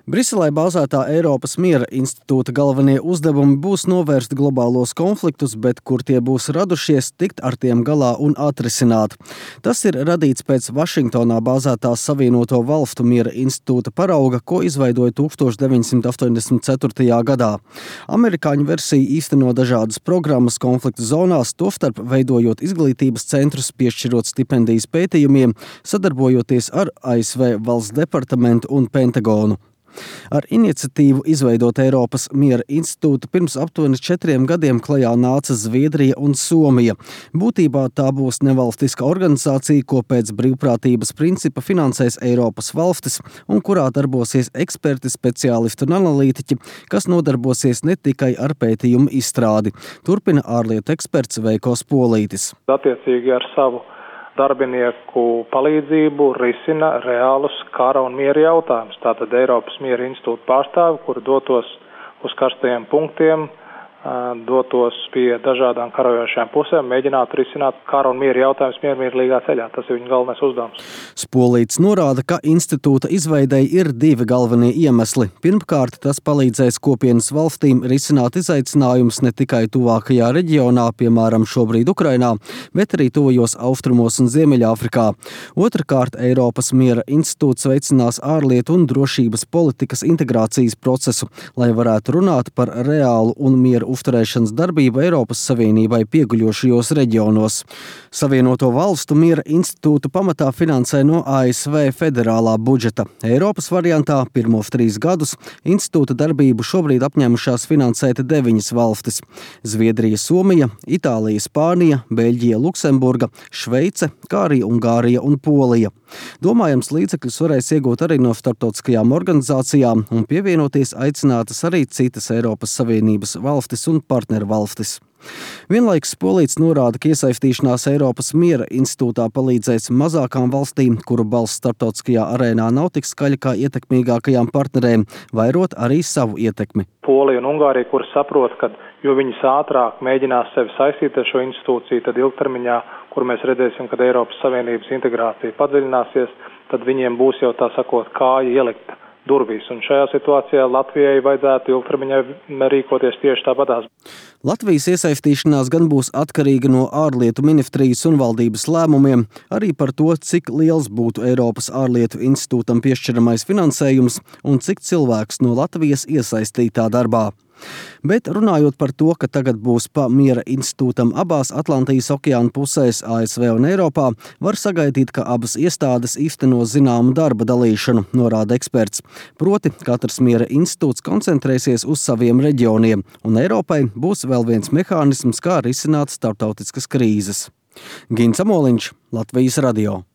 Briselē bāzētā Eiropas miera institūta galvenie uzdevumi būs novērst globālos konfliktus, bet kur tie būs radušies, tikt ar tiem galā un atrisināt. Tas ir radīts pēc Vašingtonā bāzētās Savienoto Valstu miera institūta parauga, ko izveidoja 1984. gadā. Amerikāņu versija īsteno dažādas programmas konfliktu zonās, tostarp veidojot izglītības centrus, piešķirot stipendijas pētījumiem, sadarbojoties ar ASV Valsts departamentu un Pentagonu. Ar iniciatīvu izveidot Eiropas miera institūtu pirms aptuveni 4 gadiem klajā nāca Zviedrija un Somija. Būtībā tā būs nevalstiska organizācija, ko pēc brīvprātības principa finansēs Eiropas valstis un kurā darbosies eksperti, speciālisti un analītiķi, kas nodarbosies ne tikai ar pētījumu izstrādi. Turpina ārlietu eksperts Veiko Spolītis. Attiecīgi ar savu darbinieku palīdzību risina reālus kara un miera jautājumus. Tātad Eiropas miera institūta pārstāvi, kuri dotos uz karstajiem punktiem, dotos pie dažādām karajošajām pusēm, mēģinātu risināt kara un miera jautājumus miermīlīgā ceļā. Tas ir viņa galvenais uzdevums. Spolīts norāda, ka institūta izveidei ir 2 galvenie iemesli. Pirmkārt, tas palīdzēs kopienas valstīm risināt izaicinājumus ne tikai tuvākajā reģionā, piemēram, šobrīd Ukrainā, bet arī tuvajos austrumos un Ziemeļāfrikā. Otrkārt, Eiropas miera institūts veicinās ārlietu un drošības politikas integrācijas procesu, lai varētu runāt par reālu un miera uzturēšanas darbību Eiropas Savienībai pieguļošajos reģionos. Savienoto Valstu miera institūtu pamatā finansē no ASV federālā budžeta. Eiropas variantā pirmos 3 gadus institūta darbību šobrīd apņēmušās finansēt 9 valstis – Zviedrija, Somija, Itālija, Spānija, Beļģija, Luksemburga, Šveice, kā arī Ungārija un Polija. Domājams, līdzekļus varēs iegūt arī no starptautiskajām organizācijām un pievienoties aicinātas arī citas Eiropas Savienības valstis un partnervalstis. Vienlaikus Spolīts norāda, ka iesaistīšanās Eiropas miera institūtā palīdzēs mazākām valstīm, kuru balss starptautiskajā arēnā nav tik skaļa kā ietekmīgākajām partnerēm, vairot arī savu ietekmi. Polija un Ungārija, kuras saprot, ka jo viņas ātrāk mēģinās sevi saistīt ar šo institūciju, tad ilgtermiņā, kur mēs redzēsim, kad Eiropas Savienības integrācija padziļināsies, tad viņiem būs jau tā sakot kāja ielikt durvīs. Un šajā situācijā Latvijai vajadzētu ilgtermiņā rīkoties tieši tāpatās. Latvijas iesaistīšanās gan būs atkarīga no ārlietu ministrijas un valdības lēmumiem, arī par to, cik liels būtu Eiropas ārlietu institūtam piešķiramais finansējums un cik cilvēks no Latvijas iesaistītā darbā. Bet runājot par to, ka tagad būs pa miera institūtam abās Atlantijas okeāna pusēs, ASV un Eiropā, var sagaidīt, ka abas iestādes īsteno zināmu darba dalīšanu, norāda eksperts. Proti, katrs miera institūts koncentrēsies uz saviem reģioniem, un Eiropai būs vēl viens mehānisms, kā risināt starptautiskas krīzes. Gins Amoliņš, Latvijas radio.